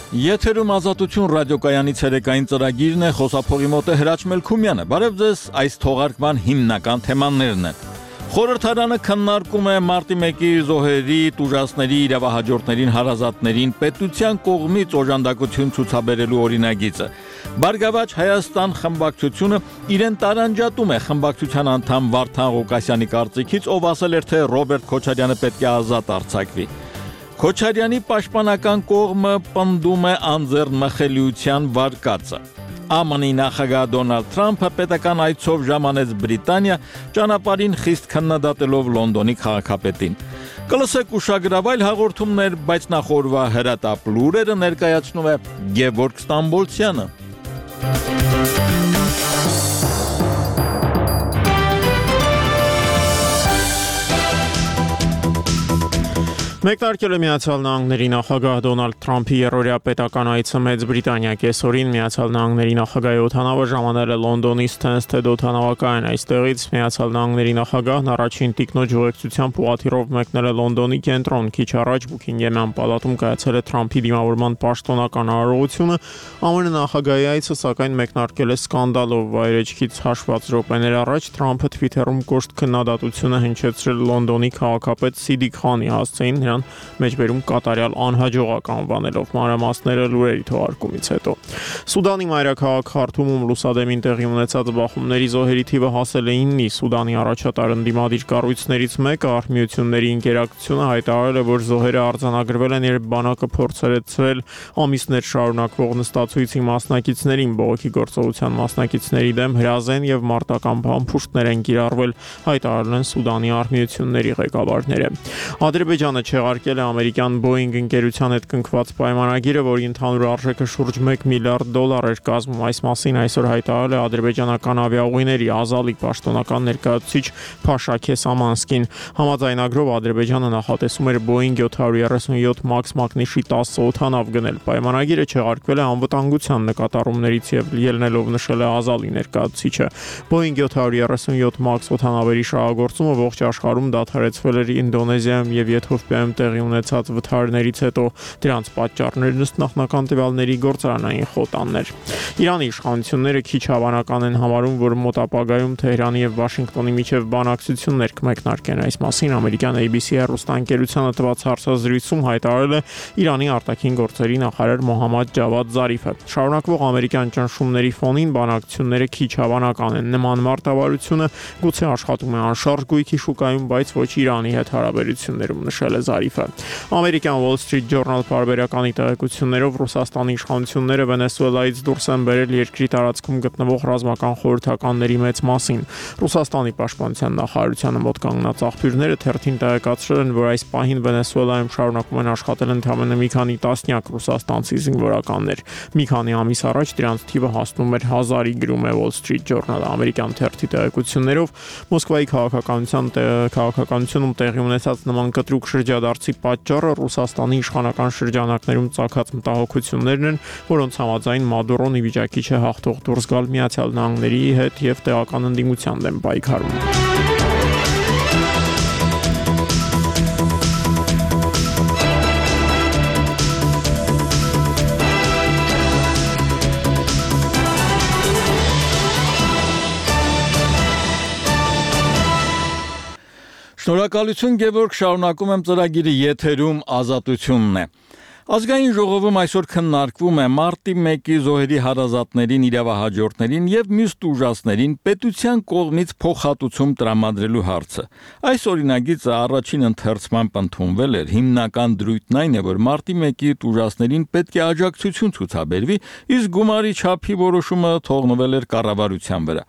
Եթերում ազատություն ռադիոկայանի ցերեկային ծրագիրն է, խոսափողի մոտ է Հրաչ Մելքումյանը։ Բարև ձեզ, այս թողարկման հիմնական թեմաներն են։ Խորհրդարանը քննարկում է մարտի 1-ի զոհերի, տուժածների, իրավահաջորդներին, հարազատներին պետության կողմից օժանդակություն ցուցաբերելու օրինագիծը։ Բարգավաճ Հայաստան խմբակցությունը իրեն տարանջատում է խմբակցության անդամ Վարդան Ղուկասյանի կարծիքից, ով ասել էր, թե Ռոբերտ Քոչարյանը պետք է ազատ արձակվի։ Քոչարյանի պաշտպանական կողմը պնդում է անձեռնմխելիության վարկածը։ ԱՄՆ-ի նախագահ Դոնալդ Թրամփը պետական այցով ժամանեց Բրիտանիա, ճանապարհին խիստ քննադատելով Լոնդոնի քաղաքապետին։ Կլսեք ուշագրավ այլ հաղորդումներ, բայց նախ օրվա հրատապ լուրերը ներկայացնում է Գևորգ Ստամբոլցյանը։ Մեկնարկել է Միացյալ Նահանգների նախագահ Դոնալդ Թրամփի երրորդյա պետական այցը Մեծ Բրիտանիա կեսօրին Միացյալ Նահանգների նախագահի օդանավը ժամանել է Լոնդոնի Stansted օդանավակայան։ Այստեղից Միացյալ Նահանգների նախագահն առաջին տիկնոջ ուղեկցությամբ ուղղաթիռով մեկնել է Լոնդոնի կենտրոն։ Քիչ առաջ Բուքինգհեմյան պալատում կայացել է Թրամփի դիմավորման պաշտոնական արարողությունը։ ԱՄՆ նախագահի այցը սակայն մեկնարկել է սկանդալով։ Վայրեջքից հաշված րոպեներ առաջ Թրամփը Twitter-ում կոշտ քննադատությունը հնչեցրել Լոնդոնի քաղաքապետ Սիդիկ Խանի հասցեին նրան մեջբերում կատարյալ անհաջողակ անվանելով։ Մանրամասները լուրերի թողարկումից հետո։ Սուդանի մայրաքաղաք Խարթումում լուսադեմին տեղի ունեցած բախումների զոհերի թիվը հասել է 9-ի։ Սուդանի առաջատար ընդդիմադիր կառույցներից մեկը Արհմիությունների ինկերակցությունը հայտարարել է, որ զոհերը արձանագրվել են, երբ բանակը փորձել է ցրել ամիսներ շարունակվող նստացույցի մասնակիցներին։ Բողոքի գործողության մասնակիցների դեմ հրազեն եւ մարտական բամփուշտներ են կիրառվել, հայտարարել են Սուդանի Արհմիությունների ղեկավարները։ Ադրբեջանը չեղարկել է ամերիկյան Boeing ընկերության հետ կնքված պայմանագիրը, որի ընդհանուր արժեքը շուրջ $1 միլիարդ էր կազմում։ Այս մասին այսօր հայտարարել է ադրբեջանական ավիաուղիների Ազալի պաշտոնական ներկայացուցիչ Փաշա Քեսամանսկին։ Համաձայնագրով Ադրբեջանը նախատեսում էր Boeing 737 MAX մակնիշի 10 օդանավ գնել։ Պայմանագիրը չեղարկվել է անվտանգության նկատառումներից եւ ելնելով նշել է Ազալի ներկայացուցիչը։ Boeing 737 MAX օդանավերի շահագործումը ողջ աշխարհում դադարեցվել էր Ինդոնեզիայում եւ Եթովպիայում տեղի ունեցած վթարներից հետո։ Դրանց պատճառներն ըստ նախնական տվյալների գործարանային խոտաններ։ Իրանի իշխանությունները քիչ հավանական են համարում, որ մոտ ապագայում Թեհրանի եւ Վաշինգտոնի միջև բանակցություններ կմեկնարկեն։ Այս մասին ամերիկյան ABC հեռուստաընկերությանը տված հարցազրույցում հայտարարել է Իրանի արտաքին գործերի նախարար Մոհամմադ Ջավադ Զարիֆը։ Շարունակվող ամերիկյան ճնշումների ֆոնին բանակցությունները քիչ հավանական են։ Նման մարտավարությունը գուցե աշխատում է անշարժ գույքի շուկայում, բայց ոչ Իրանի հետ հարաբերություններում, նշել է Զարիֆը։ Ամերիկյան Wall Street Journal պարբերականի տեղեկություններով Ռուսաստանի իշխանությունները Վենեսուելայից դուրս են բերել երկրի տարածքում գտնվող ռազմական խորհրդականների մեծ մասին։ Ռուսաստանի պաշտպանության նախարարությանը մոտ կանգնած աղբյուրները թերթին տեղեկացրել են, որ այս պահին Վենեսուելայում շարունակում են աշխատել ընդամենը մի քանի տասնյակ ռուսաստանցի զինվորականներ։ Մի քանի ամիս առաջ դրանց թիվը հասնում էր 1000-ի, գրում է Wall Street Journal-ը։ Ամերիկյան թերթի տեղեկություններով Մոսկվայի քաղաքականությունում տեղի ունեցած նման կտրուկ շրջադարձի պատճառը Ռուսաստանի իշխանական շրջանակներում ծագած մտահոգություններն են, որոնց համաձայն Մադուրոն ի վիճակի չէ հաղթող դուրս գալ Միացյալ Նահանգների հետ եւ տեղական ընդդիմության դեմ պայքարում։ Շնորհակալություն Գևորգ, շարունակում եմ ծրագիրը եթերում ազատությունն է։ Ազգային ժողովում այսօր քննարկվում է մարտի 1-ի զոհերի հարազատներին, իրավահաջորդներին եւ մյուս տուժածներին պետության կողմից փոխհատուցում տրամադրելու հարցը։ Այս օրինագիծը առաջին ընթերցման ընդունվել էր։ Հիմնական դրույթն այն է, որ մարտի 1-ի տուժածներին պետք է աջակցություն ցուցաբերվի, իսկ գումարի չափի որոշումը թողնվել էր կառավարության վրա։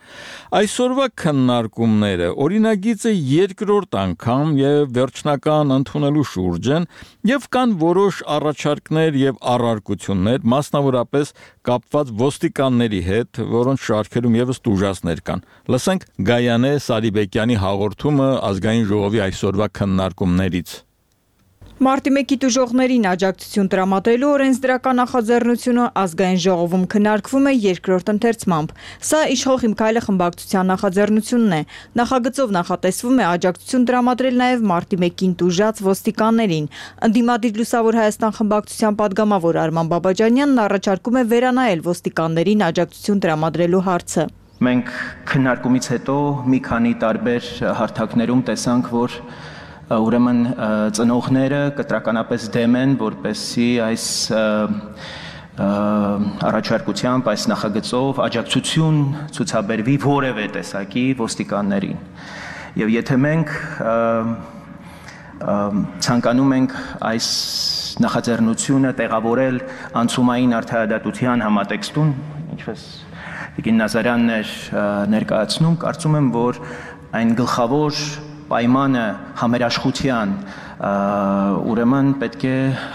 Այսօրվա քննարկումները օրինագիծը երկրորդ անգամ եւ վերջնական ընդունելու շուրջ են եւ կան որոշ առաջարկներ եւ առարկություններ, մասնավորապես կապված ոստիկանների հետ, որոնց շարքերում եւս տուժածներ կան։ Լսենք Գայանե Սարիբեկյանի հաղորդումը ազգային ժողովի այսօրվա քննարկումներից։ Մարտի 1-ի տուժողներին աջակցություն տրամադրելու օրենսդրական նախաձեռնությունը ազգային ժողովում քննարկվում է երկրորդ ընթերցմամբ։ Սա իշխող Իմ քայլը խմբակցության նախաձեռնությունն է։ Նախագծով նախատեսվում է աջակցություն տրամադրել նաև մարտի 1-ին տուժած ոստիկաններին։ Ընդդիմադիր Լուսավոր Հայաստան խմբակցության падգամավոր Արման Բաբաջանյանն առաջարկում է վերանայել ոստիկաններին աջակցություն տրամադրելու հարցը։ Մենք քննարկումից հետո մի քանի տարբեր հարթակներում տեսանք, որ ուրեմն ծնողները կտրականապես դեմ են, որպեսզի այս առաջարկությամբ, այս նախագծով աջակցություն ցուցաբերվի որևէ տեսակի ոստիկաններին։ Եվ եթե մենք ցանկանում ենք այս նախաձեռնությունը տեղավորել անցումային արդարադատության համատեքստում, ինչպես Տիկին Նազարյանն էր ներկայացնում, կարծում եմ, որ այն գլխավոր պայմանը համերաշխության ուրեմն պետք է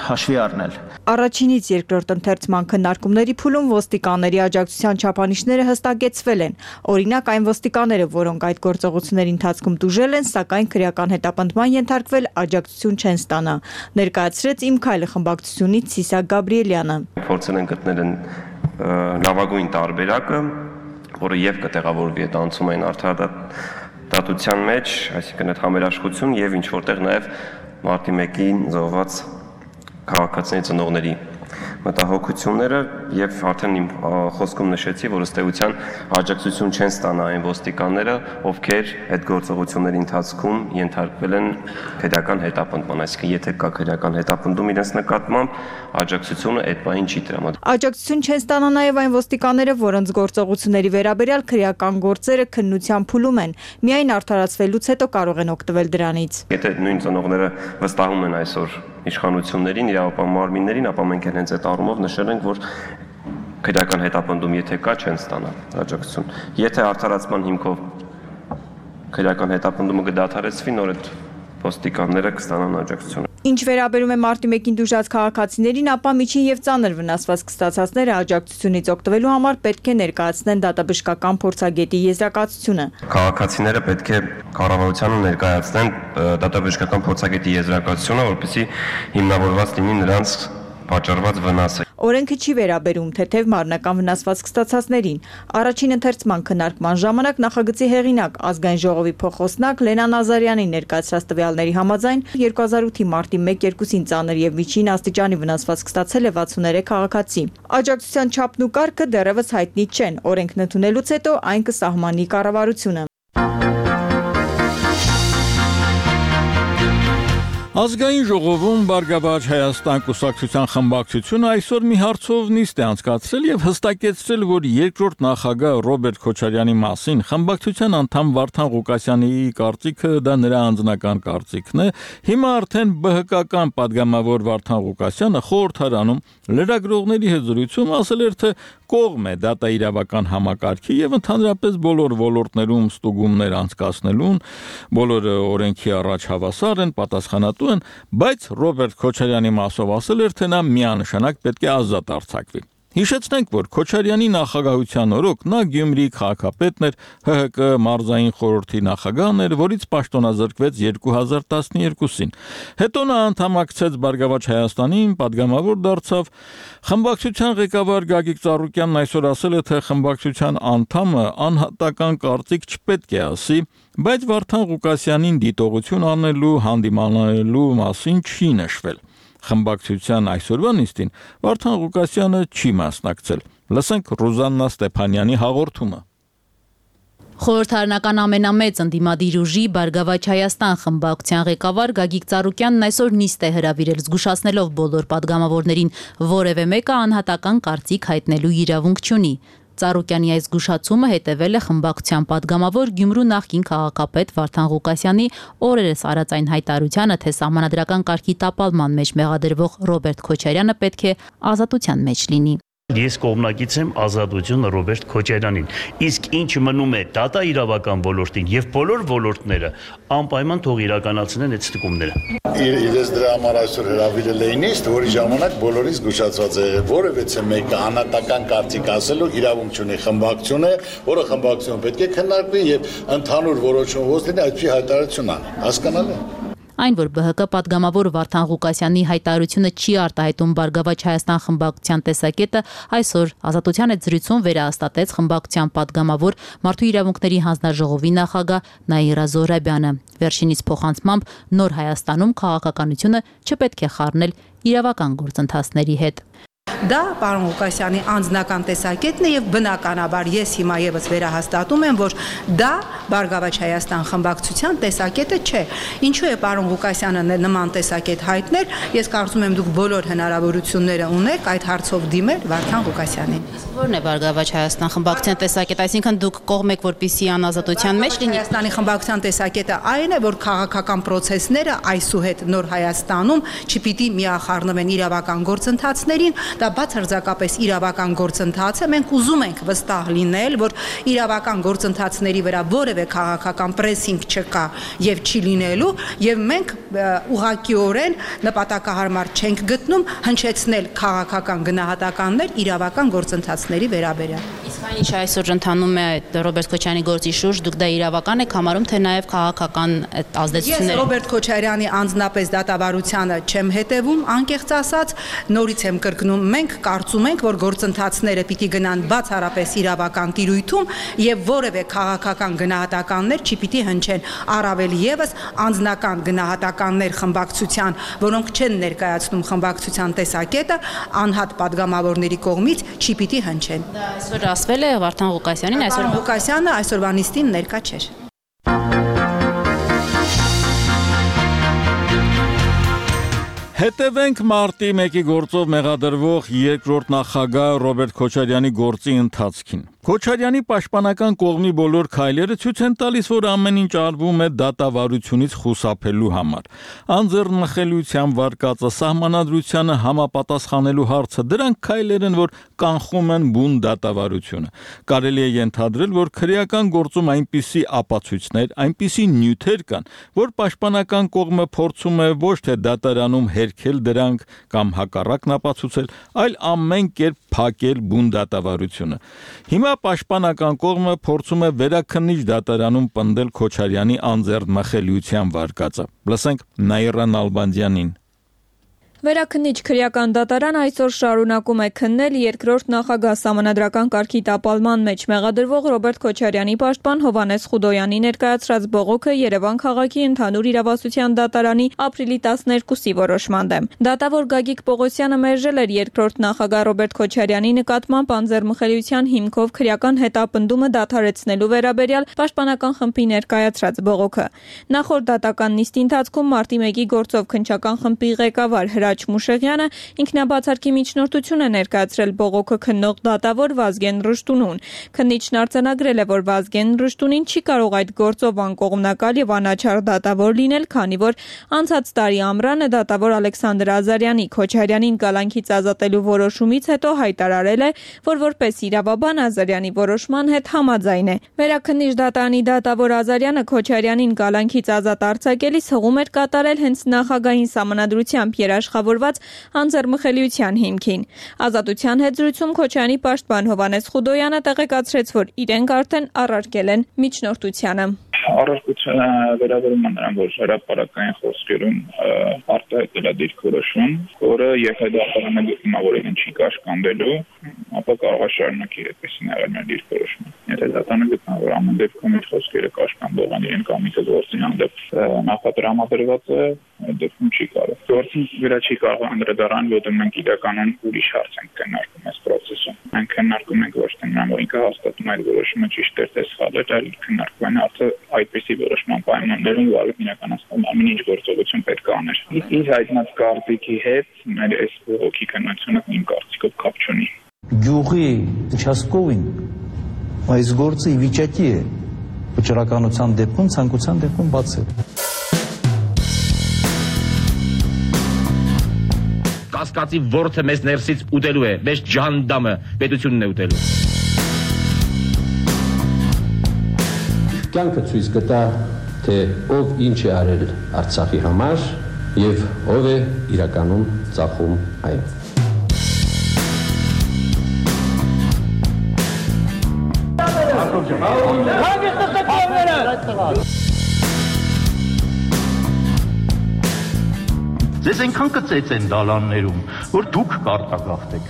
հաշվի առնել։ Առաջինից երկրորդ ընթերցման քննարկումների փուլում ոստիկանների աջակցության չափանիշները հստակեցվել են։ Օրինակ այն ոստիկանները, որոնք այդ գործողությունների ընթացքում տուժել են, սակայն քրեական հետապնդման ենթարկվել, աջակցություն չեն ստանա, ներկայացրեց Իմ քայլը խմբակցությունից Սիսակ Գաբրիելյանը։ Փորձել են գտնել լավագույն տարբերակը, որը եւ կտեղավորվի այդ անցումային արդարադատության մեջ, այսինքն այդ համերաշխություն եւ ինչ որտեղ նաեւ մարտի 1-ին զոհված քաղաքացիների ծնողների մտահոգությունները եւ արդեն իմ խոսքում նշեցի, որ ըստ էության աջակցություն չեն ստանա այն ոստիկանները, ովքեր այդ գործողությունների ընթացքում ենթարկվել են քրեական հետապնդման, այսինքն եթե կա քրեական հետապնդում իրենց նկատմամբ, աջակցությունը այդ բանին չի տրամադրվում։ Աջակցություն չեն ստանա նաեւ այն ոստիկանները, որոնց գործողությունների վերաբերյալ քրեական գործերը քննության փուլում են, միայն արդարացվելուց հետո կարող են օգտվել դրանից։ Եթե նույն ծնողները վստահում են այսօր իշխանություններին, իրավապահ մարմիններին, ապա մենք հենց այդ առումով նշել ենք, որ քրեական հետապնդում եթե կա, չեն ստանա աջակցություն։ Եթե արդարացման հիմքով քրեական հետապնդումը կդադարեցվի, նոր այդ ոստիկանները կստանան աջակցություն։ Ինչ վերաբերում է մարտի 1-ին տուժած քաղաքացիներին, ապա միջին եւ ծանր վնասված կստացածները աջակցությունից օգտվելու համար պետք է ներկայացնեն դատաբժշկական փորձագետի եզրակացությունը։ Քաղաքացիները պետք է կառավարությանը ներկայացնեն դատաբժշկական փորձագետի եզրակացությունը, որպեսզի հիմնավորված լինի նրանց պատճառված վնասը։ Օրենքը չի վերաբերում թեթև մարմնական վնասված կստացածներին։ Առաջին ընթերցման քննարկման ժամանակ նախագծի հեղինակ ազգային ժողովի փոխոսնակ Լենա Նազարյանի ներկայացրած տվյալների համաձայն 2008-ի մարտի 1-2-ին ծանր եւ միջին աստիճանի վնասված կստացել է 63 քաղաքացի։ Աջակցության չափն ու կարգը դեռևս հայտնի չեն։ Օրենքն ընդունելուց հետո այն կսահմանի կառավարությունը։ Ազգային ժողովում Բարգավաճ Հայաստան կուսակցության խմբակցությունը այսօր մի հարցով նիստ է անցկացրել եւ հստակեցրել, որ երկրորդ նախագահ Ռոբերտ Քոչարյանի մասին խմբակցության անդամ Վարդան Ղուկասյանի կարծիքը դա նրա անձնական կարծիքն է։ Հիմա արդեն ԲՀԿ-ական падգամավոր Վարդան Ղուկասյանը խորհրդարանում լրագրողների հետ զրույցում ասել էր, թե կողմ է դատաիրավական համակարգի եւ ընդհանրապես բոլոր ոլորտներում ստուգումներ անցկացնելուն, բոլորը օրենքի առաջ հավասար են, պատասխանատու են, բայց Ռոբերտ Քոչարյանի մասով ասել էր, թե նա միանշանակ պետք է ազատ արձակվի։ Հիշեցնենք, որ Քոչարյանի նախագահության օրոք նա Գյումրիի քաղաքապետն էր, ՀՀԿ մարզային խորհրդի նախագահն էր, որից պաշտոնազրկվեց 2012-ին։ Հետո նա անդամակցեց Բարգավաճ Հայաստանին, падգամավոր դարձավ։ Խմբակցության ղեկավար Գագիկ Ծառուկյանն այսօր ասել է, թե խմբակցության անդամը անհատական կարծիք չպետք է ասի, բայց Վարդան Ղուկասյանին դիտողություն անելու, հանդիմանելու մասին չի նշվել։ Խմբակցության այսօրվա նիստին Վարդան Ղուկասյանը չի մասնակցել։ Լսենք Ռուզաննա Ստեփանյանի հաղորդումը։ Խորհրդարանական ամենամեծ ընդդիմադիր ուժի Բարգավաճ Հայաստան խմբակցության ղեկավար Գագիկ Ծառուկյանն այսօր նիստ է հրավիրել, զգուշացնելով բոլոր падգամավորներին, որևէ մեկը անհատական կարծիք հայտնելու իրավունք չունի։ Ծառուկյանի այս զգուշացումը հետևել է խմբակցության падգամավոր Գյումրու նախկին քաղաքապետ Վարդան Ղուկասյանի օրերս արած այն հայտարարությանը, թե սահմանադրական կարգի տապալման մեջ մեղադրվող Ռոբերտ Քոչարյանը պետք է ազատության մեջ լինի։ Ես կողմնակից եմ ազատությունը Ռոբերտ Քոչարյանին, իսկ ինչ մնում է դատաիրավական ոլորտին եւ բոլոր ոլորտները անպայման թող իրականացնեն այդ ստուգումները։ Իրենց դրա համար այսօր հրավիրել էին նիստ, որի ժամանակ բոլորից զգուշացված է, որևէ մեկը անհատական կարծիք ասելու իրավունք չունի խմբակցությունը, որը խմբակցությունը պետք է քննարկվի եւ ընդհանուր որոշումով լինի այդպիսի հայտարարություն անի։ Հասկանալի է։ Այն, որ ԲՀԿ պատգամավոր Վարդան Ղուկասյանի հայտարարությունը չի արտահայտում Բարգավաճ Հայաստան խմբակցության տեսակետը, այսօր Ազատության հետ զրույցում վերահաստատեց խմբակցության պատգամավոր Մարդու իրավունքների հանձնաժողովի նախագահ Նաիրա Զոհրաբյանը։ Վերջինիս փոխանցմամբ նոր Հայաստանում քաղաքականությունը չպետք է խառնել իրավական գործընթացների հետ։ Դա պարոն Ղուկասյանի անձնական տեսակետն է եւ բնականաբար ես հիմա եւս վերահաստատում եմ, որ դա Բարգավաճ Հայաստան խմբակցության տեսակետը չէ։ Ինչու է պարոն Ղուկասյանը նման տեսակետ հայտնել, ես կարծում եմ դուք բոլոր հնարավորությունները ունեք այդ հարցով դիմել Վարդան Ղուկասյանին։ Ո՞րն է Բարգավաճ Հայաստան խմբակցության տեսակետը, այսինքն դուք կողմ եք, որպեսզի անազատության մեջ լինի։ Հայաստանի խմբակցության տեսակետը այն է, որ քաղաքական process-ները այսուհետ նոր Հայաստանում չպիտի միախառնվեն իրավական գործընթացներին, դա բացարձակապես իրավական գործընթաց է, մենք ուզում ենք վստահ լինել, որ իրավական գործընթացների վրա որևէ քաղաքական պրեսինգ չկա եւ չի լինելու, եւ մենք ուղղակիորեն նպատակահարմար չենք գտնում հնչեցնել քաղաքական գնահատականներ իրավական գործընթացների վերաբերյալ։ Իսկ այն ինչ այսօր ընթանում է Ռոբերտ Քոչարյանի գործի շուրջ, դուք դա իրավական եք համարում, թե նաեւ քաղաքական ազդեցություններ։ Ես Ռոբերտ Քոչարյանի անձնապես դատավարությանը չեմ հետևում, անկեղծ ասած, նորից եմ կրկնում, մենք կարծում ենք, որ գործընթացները պիտի գնան բացառապես իրավական տիրույթում եւ որևէ քաղաքական գնահատականներ չպիտի հնչեն, առավել եւս անձնական գնահատականներ խմբակցության, որոնք չեն ներկայացնում խմբակցության տեսակետը, անհատ падգամավորների կողմից չպիտի հնչեն։ Դա այսօր ասվել է Վարդան Ղուկասյանին, այսօր Ղուկասյանը այսօրվա նիստին ներկա չէր։ Հետևենք մարտի 1-ի գործով մեղադրվող երկրորդ նախագահ Ռոբերտ Քոչարյանի գործի ընթացքին։ Քոչարյանի պաշտպանական կողմի բոլոր քայլերը ցույց են տալիս, որ ամեն ինչ արվում է դատավարությունից խուսափելու համար։ Անձեռնմխելիության վարկածը, սահմանադրությանը համապատասխանելու հարցը, դրանք քայլեր են, որ կանխում են բուն դատավարությունը։ Կարելի է ենթադրել, որ քրեական գործում այնպիսի ապացույցներ, այնպիսի նյութեր կան, որ պաշտպանական կողմը փորձում է ոչ թե դատարանում հերքել դրանք կամ հակառակն ապացուցել, այլ ամեն կերպ փակել բուն դատավարությունը։ Հիմա պաշտպանական կողմը փորձում է վերաքննիչ դատարանում պնդել Քոչարյանի անձեռնմխելիության վարկածը։ Լսենք Նաիրա Նալբանդյանին։ Վերաքննիչ քրեական դատարան այսօր շարունակում է քննել երկրորդ նախագահ Սահմանադրական կարգի տապալման մեջ մեղադրվող Ռոբերտ Քոչարյանի պաշտպան Հովհաննես Խուդոյանի ներկայացրած բողոքը Երևան քաղաքի ընդհանուր իրավասության դատարանի ապրիլի 12-ի որոշման դեմ։ Դատավոր Գագիկ Պողոսյանը մերժել էր երկրորդ նախագահ Ռոբերտ Քոչարյանի նկատմամբ անձեռնմխելիության հիմքով քրեական հետապնդումը դադարեցնելու վերաբերյալ պաշտպանական խմբի ներկայացրած բողոքը։ Նախորդ դատական նիստի ընթացքում մարտի 1-ի գործով քննչական խմբի ղեկավար Հրաչ Մուշեղյանը ինքնաբացարկի միջնորդություն է ներկայացրել բողոքը քննող դատավոր Վազգեն Ռշտունուն։ Քննիչն արձանագրել է, որ Վազգեն Ռշտունին չի կարող այդ գործով անկողմնակալ եւ անաչառ դատավոր լինել, քանի որ անցած տարի ամռանը դատավոր Ալեքսանդր Ազարյանի Քոչարյանին կալանքից ազատելու որոշումից հետո հայտարարել է, որ որպես իրավաբան Ազարյանի որոշման հետ համաձայն է։ Վերաքննիչ դատարանի դատավոր Ազարյանը Քոչարյանին կալանքից ազատ արձակելիս հղում էր կատարել հենց նախագահին սահմանադրությամբ երաշխավորված անձեռնմխելիության հիմքին։ Ազատության հետ զրույցում Քոչարյանի պաշտպան Հովհաննես Խուդոյանը տեղեկացրեց, որ իրենք արդեն առարկել են միջնորդությանը։ Առարկությունը վերաբերում է նրան, որ հրապարակային խոսքերում արտահայտել է դիրքորոշում, որը եթե դատարանը գտնում է, որ իրեն չի կաշկանդելու, ապա կարող է շարունակի այդպեսին եղել դիրքորոշումը։ Եթե դատարանը գտնա, որ ամեն դեպքում իր խոսքերը կաշկանդող են իրեն կամ իհարկե գործի հանդեպ նախատրամադրված է, այդ դեպքում չի կարող։ Գործի վրա չի կարող անդրադառնալ, որտեղ մենք իրականում ուրիշ հարց ենք քննարկում այս process-ում։ Մենք քննարկում ենք ոչ թե նրան, որ ինքը հաստատում է այդ որոշումը ճիշտ է թե սխալ է, այլ քննարկում են հարցը այդպիսի որոշման պայմաններում, որ իրականացնել ամեն ինչ գործողություն պետք է աներ։ Իր հայտնած կարծիքի հետ մեր այս բողոքի քննությունը իմ կարծիքով կապ չունի։ Գյուղի участковին այս գործը ի վիճակի է վճռականության դեպքում, ցանկության դեպքում բացել։ Կասկածի ворթը մեզ ներսից ուտելու է, մեզ ջանդամը պետությունն է ուտելու։ Կյանքը ցույց կտա, թե ով ինչ է արել Արցախի համար եւ ով է իրականում ծախում այն։ Ձեզ այնքան կծեծեն դալաններում, որ դուք կարտագաղթեք։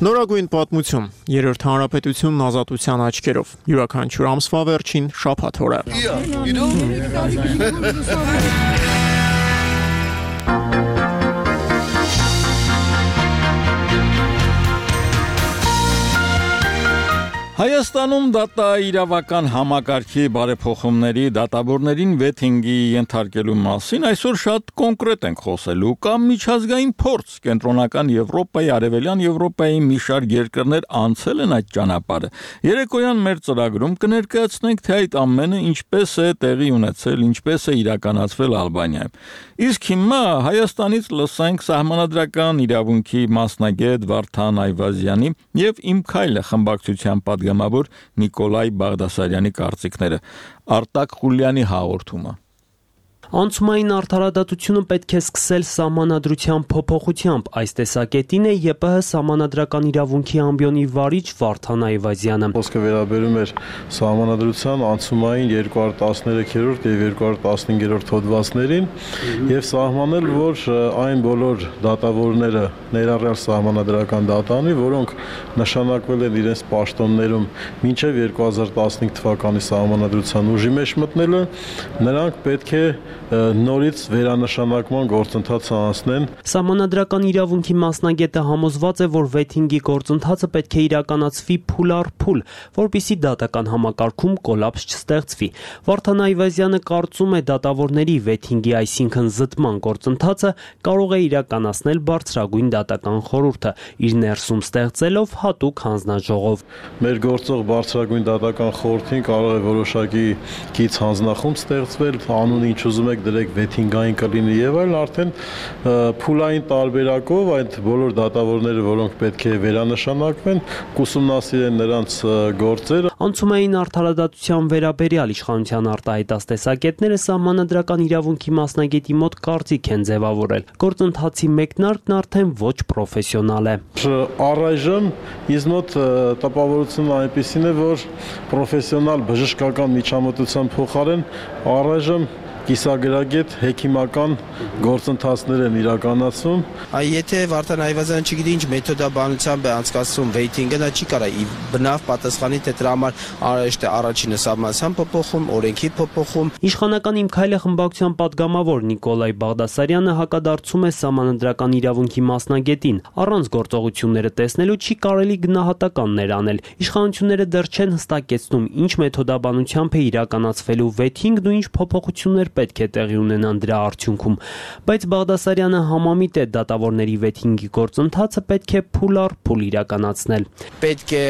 Նորագույն պատմություն, երրորդ հանրապետությունն ազատության աչքերով, յուրաքանչյուր ամսվա վերջին շաբաթ օրը։ Հայաստանում դատաիրավական համակարգի բարեփոխումների դատավորներին վեթինգի ենթարկելու մասին այսօր շատ կոնկրետ ենք խոսելու կամ միջազգային փորձ կենտրոնական Եվրոպայի, Արևելյան Եվրոպայի մի շարք երկրներ անցել են այդ ճանապարհը։ Երեկոյան մեր ծրագրում կներկայացնենք, թե այդ ամենը ինչպես է տեղի ունեցել, ինչպես է իրականացվել Ալբանիայում։ Իսկ հիմա Հայաստանից լսենք սահմանադրական իրավունքի մասնագետ Վարդան Այվազյանի եւ Իմ քայլը խմբակցության պատգամավոր Նիկոլայ Բաղդասարյանի կարծիքները։ Արտակ Խուլյանի հաղորդումը։ Անցումային արդարադատությունը պետք է սկսել սահմանադրության փոփոխությամբ, այս տեսակետին է ԵՊՀ սահմանադրական իրավունքի ամբիոնի վարիչ Վարդան Այվազյանը։ Խոսքը վերաբերում էր սահմանադրության անցումային 213-րդ եւ 215-րդ հոդվածներին եւ սահմանել, որ այն բոլոր դատավորները ներառյալ սահմանադրական դատանի, որոնք նշանակվել են իրենց պաշտոններում մինչև 2015 թվականի սահմանադրության ուժի մեջ մտնելը, նրանք պետք է նորից վերանշանակման գործընթացը անցնեն։ Սահմանադրական իրավունքի մասնագետը համոզված է, որ վեթինգի գործընթացը պետք է իրականացվի փուլ առ փուլ, որպեսզի դատական համակարգում կոլապս չստեղծվի։ Վարդան Այվազյանը կարծում է, դատավորների վեթինգի, այսինքն զտման գործընթացը կարող է իրականացնել բարձրագույն դատական խորհուրդը, իր ներսում ստեղծելով հատուկ հանձնաժողով։ Մեր գործող բարձրագույն դատական խորհրդին կարող է որոշակի կից հանձնախումբ ստեղծվել, անուն ինչ ուզում եք դրեք վեթինգային կլինի եւ այլ, արդեն փուլային տարբերակով այդ բոլոր դատավորները, որոնք պետք է վերանշանակվեն, կուսումնասիրեն նրանց գործերը։ Անցումային արդարադատության վերաբերյալ իշխանության արտահայտած տեսակետները սահմանադրական իրավունքի մասնագետի մոտ կարծիք են ձևավորել։ Գործընթացի մեկնարկն արդեն ոչ պրոֆեսիոնալ է։ Առայժմ ինձ մոտ տպավորությունն այնպիսին է, որ պրոֆեսիոնալ բժշկական միջամտության փոխարեն առայժմ կիսագրագետ հեքիմական գործընթացներ են իրականացում։ Եթե Վարդան Այվազյանը չգիտի ինչ մեթոդաբանությամբ է անցկացվում վեյթինգը, նա չի կարող ի բնավ պատասխանի, թե դրա համար արժե առաջինը սահմանության փոփոխում, օրենքի փոփոխում։ Իշխանական Իմ քայլը խմբակցության պատգամավոր Նիկոլայ Բաղդասարյանը հակադարձում է սահմանադրական իրավունքի մասնագետին։ Առանց գործողությունները տեսնելու չի կարելի գնահատականներ անել։ Իշխանությունները դեռ չեն հստակեցնում, ինչ մեթոդաբանությամբ է իրականացվելու վեթինգն ու ինչ փոփոխություններ պետք է տեղի ունենան դրա արդյունքում, բայց Բաղդասարյանը համամիտ է դատավորների վեթինգի գործընթացը պետք է փուլ առ փուլ իրականացնել։ Պետք է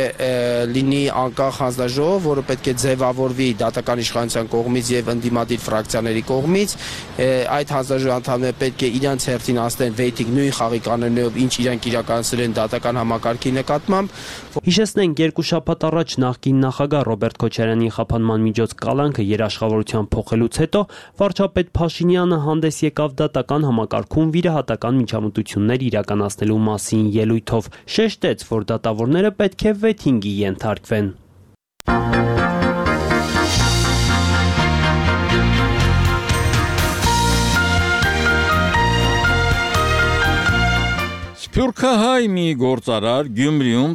լինի անկախ հանձնաժողով, որը պետք է ձևավորվի դատական իշխանության կողմից եւ ընդդիմադիր ֆրակցիաների կողմից։ Այդ հանձնաժողովի անդամները պետք է իրենց հերթին անցնեն վեթինգ նույն խաղի կանոններով, ինչ իրենք իրականացրել են դատական համակարգի նկատմամբ։ Հիշեցնենք, 2 շաբաթ առաջ նախկին նախագահ Ռոբերտ Քոչարյանի խափանման միջոց կալանքը երաշխավորության փոխելուց հետո վարչապետ Փաշինյանը հանդես եկավ դատական համակարգում վիրահատական միջամտություններ իրականացնելու մասին ելույթով, շեշտեց, որ դատավորները պետք է վեթինգի ենթարկվեն։ Սփյուռքահայ մի գործարար Գյումրիում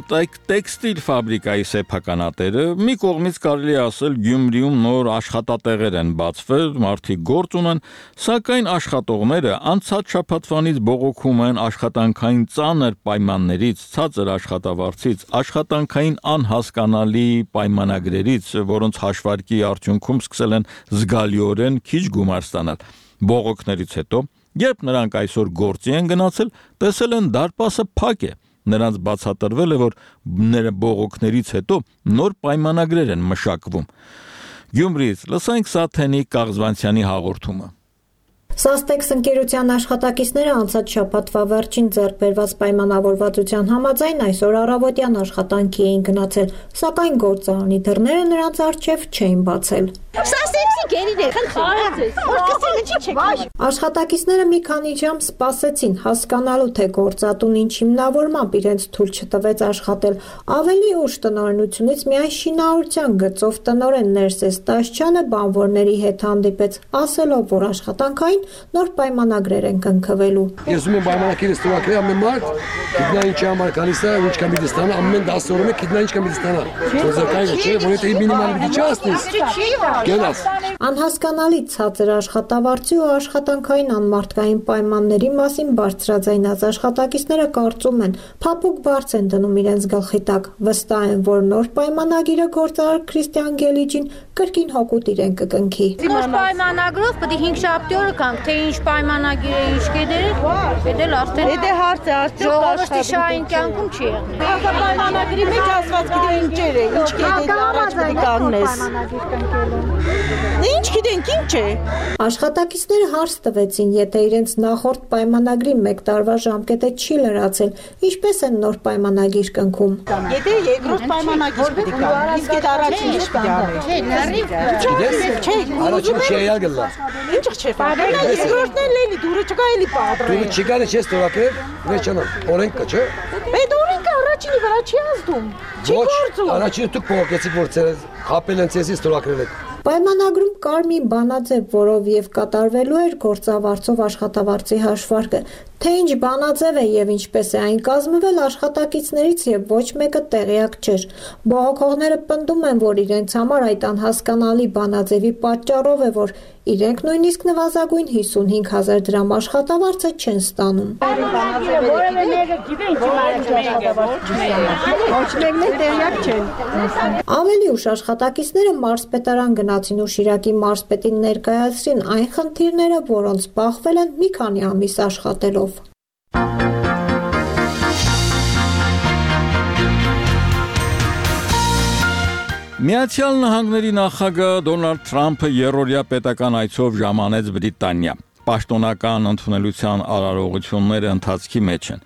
տեքստիլ ֆաբրիկայի սեփականատերը, մի կողմից կարելի ասել Գյումրիում նոր աշխատատեղեր են բացվել, մարդիկ գործ ունեն, սակայն աշխատողները անցած շաբաթվանից բողոքում են աշխատանքային ծանր պայմաններից, ցածր աշխատավարձից, աշխատանքային անհասկանալի պայմանագրերից, որոնց հաշվարկի արդյունքում սկսել են զգալիորեն քիչ գումար ստանալ։ Բողոքներից հետո երբ նրանք այսօր գործի են գնացել, տեսել են դարպասը փակ է։ Նրանց բացատրվել է, որ բողոքներից հետո նոր պայմանագրեր են մշակվում։ Գյումրիից լսենք Սաթենի Կաղզվանցյանի հաղորդումը։ Սաստեքս ընկերության աշխատակիցները անցած շաբաթվա վերջին ձեռք բերված պայմանավորվածության համաձայն այսօր առավոտյան աշխատանքի էին գնացել, սակայն գործարանի դռները նրանց առջև չէին բացել։ Աշխատակիցները մի քանի ժամ սպասեցին հասկանալու, թե գործատուն ինչ հիմնավորմամբ իրենց թույլ չտվեց աշխատել։ Ավելի ուշ տնօրինությունից միայն շինարարության գծով տնօրեն Ներսես Տաշչյանը բանվորների հետ հանդիպեց, ասելով, որ աշխատանքային նոր պայմանագրեր են կնքվելու։ Ես ուզում եմ պայմանագիրը ստորագրել ամեն մարդ, գիտնա ինչի համար գալիս է, ինչ կամ պիտի ստանա, ամեն 10 օրում է գիտնա ինչ կամ պիտի ստանա։ Ոզակայինը չէ, որ եթե մինիմալ պիտի չասնես։ Գնաս։ Անհասկանալի ցածր աշխատավարձի ու աշխատանքային անմարդկային պայմանների մասին բարձրաձայնած աշխատակիցները կարծում են, փափուկ բարձ են դնում իրենց գլխի տակ, վստահ են, որ նոր պայմանագիրը գործարար Քրիստիան Գելիջին կրկին հօգուտ իրեն կկնքի։ Նոր պայմանագրով պետք է 5 շաբթի օրը կանք, թե ինչ պայմանագիր է, ինչ կեդերը, դա արդեն Եթե հարցը ժողովրդի շահային կյանքում չի եղնի։ Պայմանագրի մեջ ասված գիտե ինչեր է, ինչ կեդերի առաջ պետք է կանգնես։ Ինչ գիտենք, ինչ է։ Աշխատակիցները հարց տվեցին, եթե իրենց նախորդ պայմանագրի 1 տարվա ժամկետը չի լրացել, ինչպես են նոր պայմանագիր կնքում։ Եթե երկրորդ պայմանագիր պետք է կա, իսկ այդ առաջին ինչ պետք է անել։ Չէ, առաջին չի եղել։ Ինչ չէ, երկրորդն էլ էլի դուրը չկա էլի պատրը։ Դուրը չկա չէ ստորագրել, վերջանա, օրենքը չէ։ Այդ օրենքը առաջինի վրա չի ազդում։ Չի գործում։ Առաջինը դուք փոխեցիք, որ խապել են ցեզի ստորագրել եք։ Պայմանագրում կար մի բանաձև, որով եւ կատարվելու էր գործավարձով աշխատավարձի հաշվարկը, թե ինչ բանաձև է եւ ինչպես է այն կազմվել աշխատակիցներից եւ ոչ մեկը տեղյակ չէր։ Բողոքողները պնդում են, որ իրենց համար այդ անհասկանալի բանաձևի պատճառով է, որ իրենք նույնիսկ նվազագույն 55,000 դրամ աշխատավարձը չեն ստանում։ Որևէ մեկը գիտե ինչ ոչ մեկն էլ տեղյակ չեն։ Ավելի ուշ աշխատակիցները մարզպետարան գնացին ու Շիրակի մարզպետին ներկայացրին այն խնդիրները, որոնց բախվել են մի քանի ամիս աշխատելով։ Միացյալ Նահանգների նախագահ Դոնալդ Թրամփը երրորդյա պետական այցով ժամանեց Բրիտանիա։ Պաշտոնական ընդունելության արարողությունները ընթացքի մեջ են։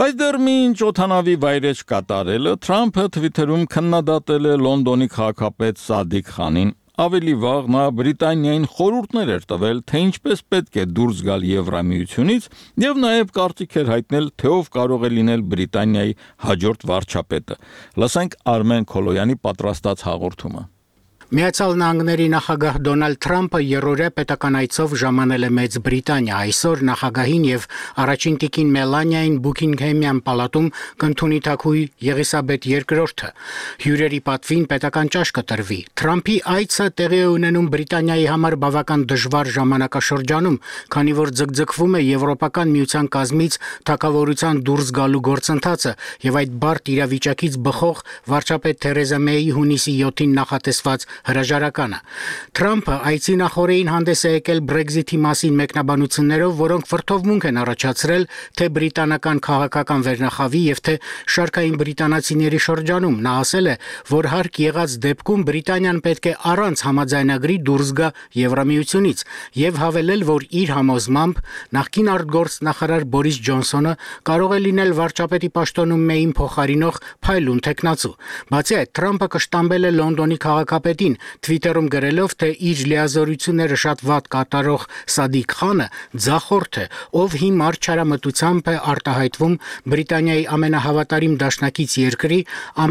Բայց դեռ մինչ օդանավի վայրեջ կատարելը Թրամփը Twitter-ում քննադատել է Լոնդոնի քաղաքապետ Սադիկ Խանին։ Ավելի վաղ նա Բրիտանիային խորհուրդներ էր տվել, թե ինչպես պետք է դուրս գալ Եվրամիությունից եւ նաեւ կարծիք էր հայտնել, թե ով կարող է լինել Բրիտանիայի հաջորդ վարչապետը։ Լսենք Արմեն Քոլոյանի պատրաստած հաղորդումը։ Միացյալ Նահանգների նախագահ Դոնալդ Թրամփը երրորդյա պետական այցով ժամանել է Մեծ Բրիտանիա։ Այսօր նախագահին եւ առաջին տիկին Մելանիային Բուքինգհեմյան պալատում կընդունի թագուհի Եղիսաբեթ II-ը։ Հյուրերի պատվին պետական ճաշ կտրվի։ Թրամփի այցը տեղի է ունենում Բրիտանիայի համար բավական դժվար ժամանակաշրջանում, քանի որ ձգձգվում է Եվրոպական միության կազմից թագավորության դուրս գալու գործընթացը եւ այդ բարդ իրավիճակից բխող վարչապետ Թերեզա Մեյի հունիսի 7-ին նախատեսված հրաժարականը։ Թրամփը այցի նախօրեին հանդես է եկել Brexit-ի մասին մեկնաբանություններով, որոնք վրդովմունք են առաջացրել թե բրիտանական քաղաքական վերնախավի եւ թե շարքային բրիտանացիների շրջանում։ Նա ասել է, որ հարկ եղած դեպքում Բրիտանիան պետք է առանց համաձայնագրի դուրս գա Եվրամիությունից եւ հավելել, որ իր համոզմամբ նախկին արտգործնախարար Բորիս Ջոնսոնը կարող է լինել վարչապետի պաշտոնում Մեյին փոխարինող փայլուն տեխնացու։ Բացի այդ, Թրամփը կշտամբել է Լոնդոնի քաղաքապետին Twitter-ում գրելով, թե իր լիազորությունները շատ վատ կատարող Սադիկ Խանը ձախորդ է, ով հիմար չարամտությամբ է արտահայտվում Բրիտանիայի ամենահավատարիմ դաշնակից երկրի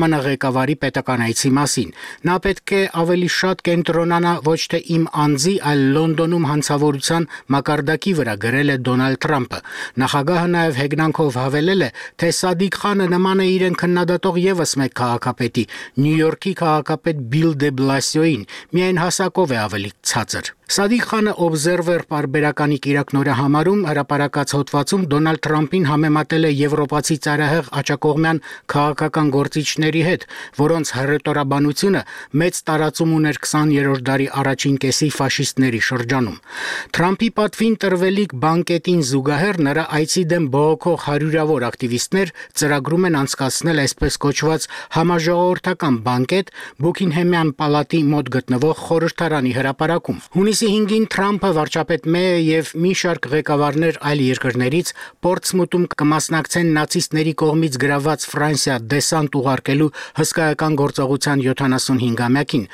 ԱՄՆ ղեկավարի պետական այցի մասին։ Նա պետք է ավելի շատ կենտրոնանա ոչ թե իմ անձի, այլ Լոնդոնում հանցավորության մակարդակի վրա, գրել է Դոնալդ Թրամփը։ Նախագահը նաև հեգնանքով հավելել է, թե Սադիկ Խանը նման է իրեն քննադատող եւս մեկ քաղաքապետի, Նյու Յորքի քաղաքապետ Բիլ դե Բլասիոին, միայն հասակով է ավելի ցածր։ Սադիկ Խանը Observer պարբերականի կիրակնորը համարում հրապարակած հոդվածում Դոնալդ Թրամփին համեմատել է եվրոպացի ծայրահեղ աջակողմյան քաղաքական գործիչների հետ, որոնց հռետորաբանությունը մեծ տարածում ուներ 20-րդ դարի առաջին կեսի ֆաշիստների շրջանում։ Թրամփի պատվին տրվելիք բանկետին զուգահեռ նրա այցի դեմ բողոքող հարյուրավոր ակտիվիստներ ծրագրում են անցկացնել այսպես կոչված համաժողովրդական բանկետ Բուքինգհեմյան պալատի մոտ գտնվող խորհրդարանի հրապարակում։ Հունիսի Հունիսի 5-ին Թրամփը վարչապետ Մեյը եւ մի շարք ղեկավարներ այլ երկրներից Պորտսմութում կմասնակցեն նացիստների կողմից գրաված Ֆրանսիա դեսանտ ուղարկելու հսկայական գործողության 75-ամյակին։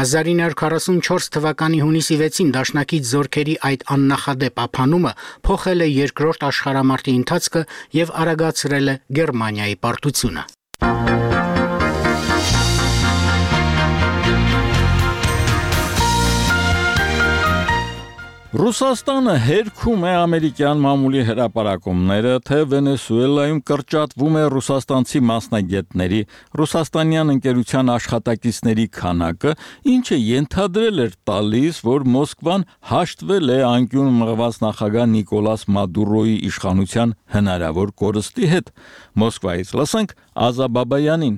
1944 թվականի հունիսի 6-ին դաշնակից զորքերի այդ աննախադեպ ափանումը փոխել է երկրորդ աշխարհամարտի ընթացքը եւ արագացրել է Գերմանիայի պարտությունը։ Ռուսաստանը հերքում է ամերիկյան մամուլի հրապարակումները, թե Վենեսուելայում կրճատվում է ռուսաստանցի մասնագետների, ռուսաստանյան ընկերության աշխատակիցների քանակը, ինչը ենթադրել էր տալիս, որ Մոսկվան հաշտվել է անկյուն մղված նախագահ Նիկոլաս Մադուրոյի իշխանության հնարավոր կորստի հետ։ Մոսկվայից լսենք Ազա Բաբայանին։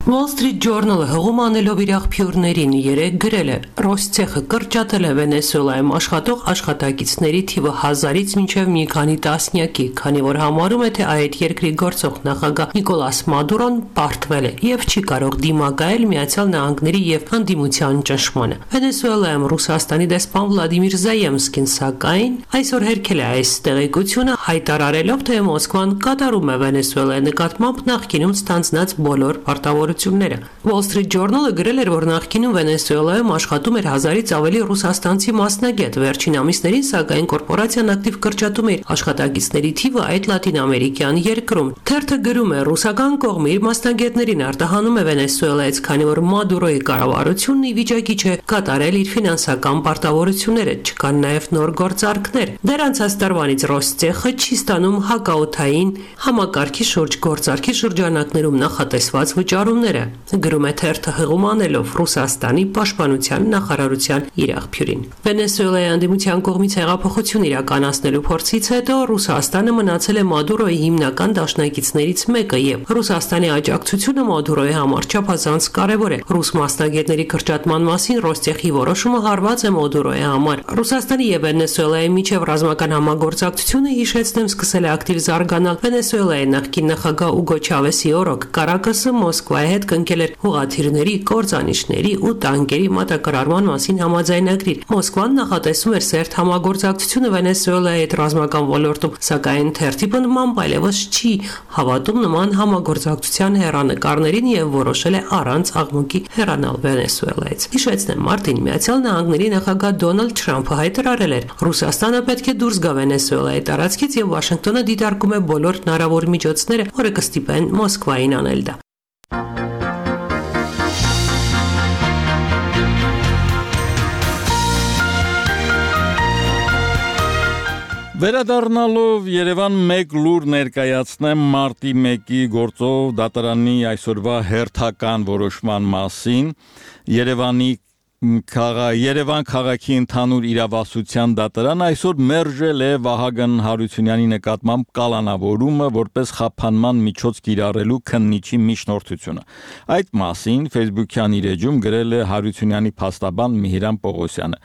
Wall Street Journal-ը հղում անելով իր աղբյուրներին երեկ գրել է. Ռոսցեխը կրճատել է Վենեսուելայում աշխատող աշխատակիցների թիվը 1000-ից մինչև մի քանի տասնյակի, քանի որ համարում է, թե այդ երկրի գործող նախագահ Նիկոլաս Մադուրոն պարտվել է եւ չի կարող դիմակայել Միացյալ Նահանգների եւ հանդիմության ճնշմանը։ Վենեսուելայում Ռուսաստանի դեսպան Վլադիմիր Զայեմսկին սակայն այսօր հերքել է այս տեղեկությունը, հայտարարելով, թե Մոսկվան կատարում է Վենեսուելայի նկատմամբ նախկինում ստանձնած բոլոր պարտավորությունները։ Wall Street Journal-ը գրել էր, որ նախկինում Վենեսուելայում աշխատում էր 1000-ից ավելի ռուսաստանցի մասնագետ, վերջին ամիսներին սակայն կորպորացիան ակտիվ կրճատում է աշխատակիցների թիվը այդ լատինամերիկյան երկրում։ Թերթը գրում է. ռուսական կողմը իր մասնագետներին արտահանում է Վենեսուելայից, քանի որ Մադուրոյի կառավարությունն ի վիճակի չէ կատարել իր ֆինանսական պարտավորությունները, չկան նաև նոր գործարքներ։ Դեռ անցած տարվանից Ռոսցեխը չի ստանում հակաօդային համակարգի շուրջ գործարքի շրջանակներում նախատեսված վճարումներ, գրում է թերթը հղում անելով Ռուսաստանի պաշտպանության նախարարության իր աղբյուրին։ Վենեսուելայի անդիմության կողմից հեղափոխություն իրականացնելու փորձից հետո Ռուսաստանը մնացել է Մադուրոյի հիմնական դաշնակիցներից մեկը եւ Ռուսաստանի աջակցությունը Մադուրոյի համար չափազանց կարեւոր է։ Ռուս մասնագետների կրճատման մասին Ռոստեխի որոշումը հարված է Մադուրոյի համար։ Ռուսաստանի եւ Վենեսուելայի միջև ռազմական համագործակցությունը, հիշեցնեմ, սկսել է ակտիվ զարգանալ Վենեսուելայի նախկին նախագահ Ուգո Չավեսի օրոք Կարակասը Մոսկվայի հետ կնքել էր հողաթիռների, կործանիչների ու տանկերի մատակարարման մասին համաձայնագրիր։ Մոսկվան նախատեսում էր սերտ համագործակցությունը Վենեսուելայի հետ ռազմական ոլորտում, սակայն թերթի պնդմամբ այլևս չի հավատում նման համագործակցության հեռանկարներին եւ որոշել է առանց աղմուկի հեռանալ Վենեսուելայից։ Հիշեցնեմ, մարտին Միացյալ Նահանգների նախագահ Դոնալդ Թրամփը հայտարարել էր. Ռուսաստանը պետք է դուրս գա Վենեսուելայի տարածքից եւ Վաշինգտոնը դիտարկում է բոլոր հնարավոր միջոցները, որը կստիպեն Մոսկվային անել դա։ Վերադառնալով Երևան մեկ լուր ներկայացնեմ մարտի 1-ի գործով դատարանի այսօրվա հերթական որոշման մասին։ Երևան քաղաքի ընդհանուր իրավասության դատարան այսօր մերժել է Վահագն Հարությունյանի նկատմամբ կալանավորումը որպես խափանման միջոց կիրառելու քննիչի միջնորդությունը։ Այդ մասին Facebook-յան իր էջում գրել է Հարությունյանի փաստաբան Միհիրան Պողոսյանը։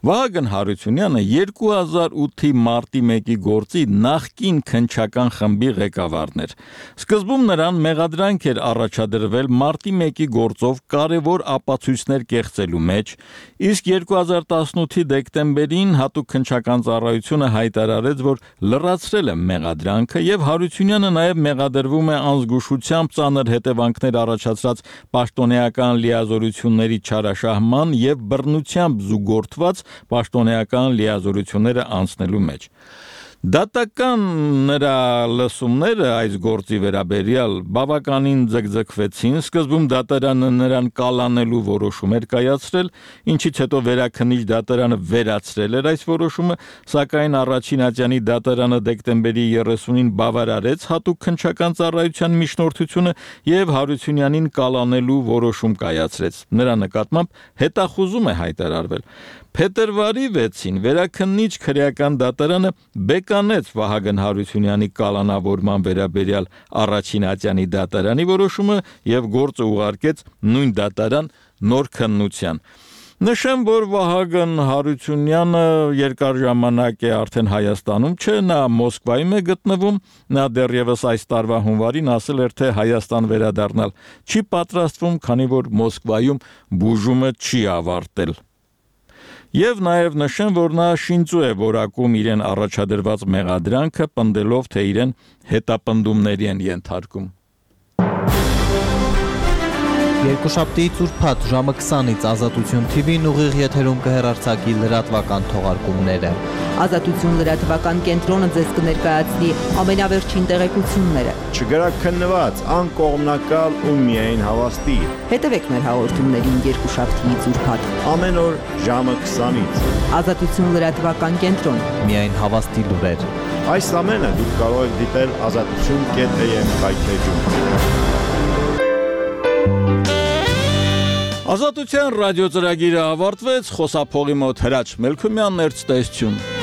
Վահագն Հարությունյանը 2008-ի մարտի 1-ի գործի նախկին քննչական խմբի ղեկավարն էր։ Սկզբում նրան մեղադրանք էր առաջադրվել մարտի 1-ի գործով կարևոր ապացույցներ կեղծելու մեջ, իսկ 2018-ի դեկտեմբերին հատուկ քննչական ծառայությունը հայտարարեց, որ լրացրել է մեղադրանքը եւ Հարությունյանը նաեւ մեղադրվում է անզգուշությամբ ծանր հետևանքներ առաջացրած պաշտոնեական լիազորությունների չարաշահման եւ բռնությամբ զուգորդված պաշտոնեական լիազորությունները անցնելու մեջ։ Դատական նրա լսումները այս գործի վերաբերյալ բավականին ձգձգվեցին, սկզբում դատարանը նրան կալանելու որոշում էր կայացրել, ինչից հետո վերաքննիչ դատարանը վերացրել էր այս որոշումը, սակայն առաջին ատյանի դատարանը դեկտեմբերի 30-ին բավարարեց հատուկ քննչական ծառայության միջնորդությունը եւ Հարությունյանին կալանելու որոշում կայացրեց։ Նրա նկատմամբ հետախուզում է հայտարարվել։ Փետրվարի 6-ին վերաքննիչ քրեական դատարանը բեկանեց Վահագն Հարությունյանի կալանավորման վերաբերյալ առաջին ատյանի դատարանի որոշումը եւ գործը ուղարկեց նույն դատարան նոր քննության։ Նշեմ, որ Վահագն Հարությունյանը երկար ժամանակ է արդեն Հայաստանում չէ, նա Մոսկվայում է գտնվում, նա դեռևս այս տարվա հունվարին ասել էր, թե Հայաստան վերադառնալ չի պատրաստվում, քանի որ Մոսկվայում բուժումը չի ավարտել։ Եվ նաև նշեն, որ նա շինծու է որակում իրեն առաջադրված մեղադրանքը, պնդելով, թե իրեն հետապնդումների են ենթարկում։ Երկուշաբթիից ուրբաթ ժամը 20-ից Ազատություն TV-ն ուղիղ եթերում կհեռարձակի լրատվական թողարկումները։ Ազատություն լրատվական կենտրոնը ձեզ կներկայացնի ամենավերջին տեղեկությունները։ Չգրաքննված, անկողմնակալ ու միայն հավաստի։ Հետևեք մեր հաղորդումներին երկուշաբթիից ուրբաթ ամեն օր ժամը 20-ից։ Ազատություն լրատվական կենտրոն։ Միայն հավաստի լուրեր։ Այս ամենը դուք կարող եք դիտել azatutun.am կայքեջում։ Ազատության ռադիո ծրագիրը ավարտվեց, խոսափողի մոտ Հրաչ Մելքումյանն էր, ցտեսություն։